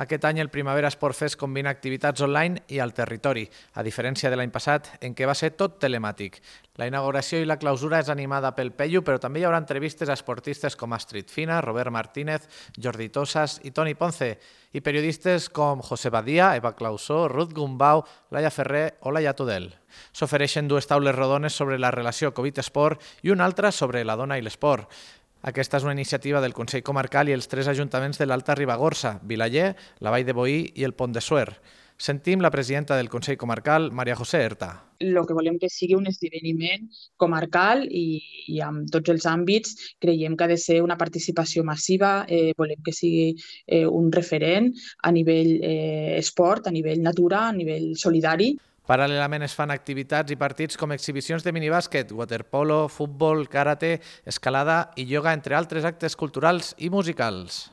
Aquest any el Primavera Sport Fest combina activitats online i al territori, a diferència de l'any passat, en què va ser tot telemàtic. La inauguració i la clausura és animada pel Peyu, però també hi haurà entrevistes a esportistes com Astrid Fina, Robert Martínez, Jordi Tosas i Toni Ponce, i periodistes com José Badia, Eva Clausó, Ruth Gumbau, Laia Ferrer o Laia Tudel. S'ofereixen dues taules rodones sobre la relació Covid-Esport i una altra sobre la dona i l'esport. Aquesta és una iniciativa del Consell Comarcal i els 3 ajuntaments de l'Alta Ribagorça, Vilaller, la Vall de Boí i el Pont de Suert. Sentim la presidenta del Consell Comarcal, Maria José Erta. El que volem que sigui un esdeveniment comarcal i amb tots els àmbits creiem que ha de ser una participació massiva, volem que sigui un referent a nivell esport, a nivell natura, a nivell solidari. Paral·lelament es fan activitats i partits com exhibicions de minibàsquet, waterpolo, futbol, karate, escalada i ioga, entre altres actes culturals i musicals.